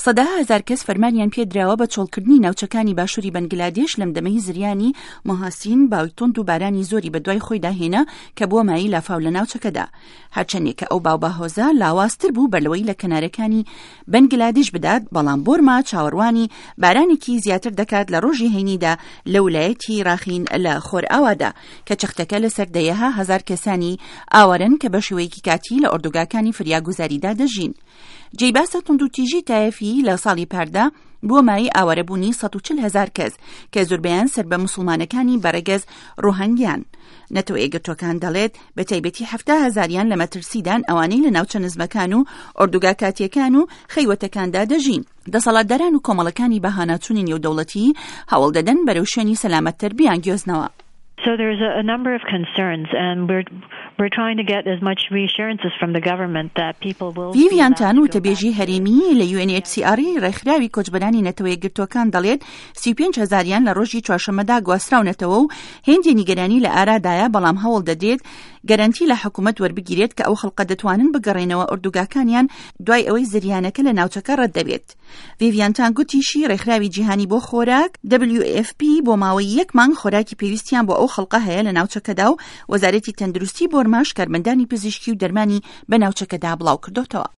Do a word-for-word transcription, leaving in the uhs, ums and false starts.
سەدەها هەزار کەس فەرمانیان پێدراوە بە چۆڵکردنی ناوچەکانی باشووری بەنگلادێش لەم دەمەی زریانی مۆهاسین باوی توند و بارانی زۆری بەدوای خۆیدا هێنا کە بووە مایەی لافاو لە ناوچەکەدا. هەرچەندێک کە ئەو باوباهۆزە لاوازتر بوو بەر لەوەی لە کەنارەکانی بەنگلادیش بدات، بەڵام بۆرما چاوەڕوانی بارانێکی زیاتر دەکات لە ڕۆژی هەینیدا لە ولایەتی ڕاخین لە خۆرئاوادا کە چەختەکە لەسەر دەیەها هەزار کەسانی ئاوارەن کە بە شێوەیەکی کاتی لە ئۆردوگاکانی فریاگوزاریدا دەژین. جێی باسە توندوتیژی تایەفی لە ساڵی پاردا بووە مایەی ئاوارەبوونی سەد و چل هەزار کەس کە زۆربەیان سەر بە موسڵمانەکانی بەڕەگەز ڕۆهنگیان. نەتەوە یەکگرتووەکان دەڵێت بە تایبەتی حەفتا هەزاریان لە مەترسیدان ئەوانەی لە ناوچە نزمەکان و ئۆردوگا کاتیەکان و خەیوەتەکاندا دەژین. دەسەڵاتداران و کۆمەڵەکانی بەهاناچوونی نێودەوڵەتی هەوڵ دەدەن بەرەو شوێنی سەلامەتتر بیانگوێزنەوە. So there's a, a number of concerns, and we're we're trying to get as much reassurances from the government that people will. ڤیڤیان تان وتەبێژی هەرێمی لە U N H C R ڕێکخراوی کۆچبەرانی نەتەوە یەکگرتووەکان دەڵێت سی و پێنج هەزاریان لە ڕۆژی چوارشەممەدا گواستراونەتەوە و هێندێ نیگەرانی لە ئارادایە، بەڵام هەوڵ دەدرێت گەرەنتی لە حکوومەت وەربگیرێت کە ئەو خەڵقە دەتوانن بگەڕێنەوە ئۆردوگاکانیان دوای ئەوەی زریانەکە لە ناوچەکە ڕەت دەبێت. ڤیڤیان تان گوتیشی ڕێکخراوی جیهانی بۆ خۆراک W F P بۆ ماوەی یەک مانگ خۆراکی پێویستیان بۆ ئەو خەڵقە هەیە لە ناوچەکەدا و وەزارەتی تەندروستی بۆرماش کارمەندانی پزیشکی و دەرمانی بە ناوچەکەدا بڵاو کردوتەوە.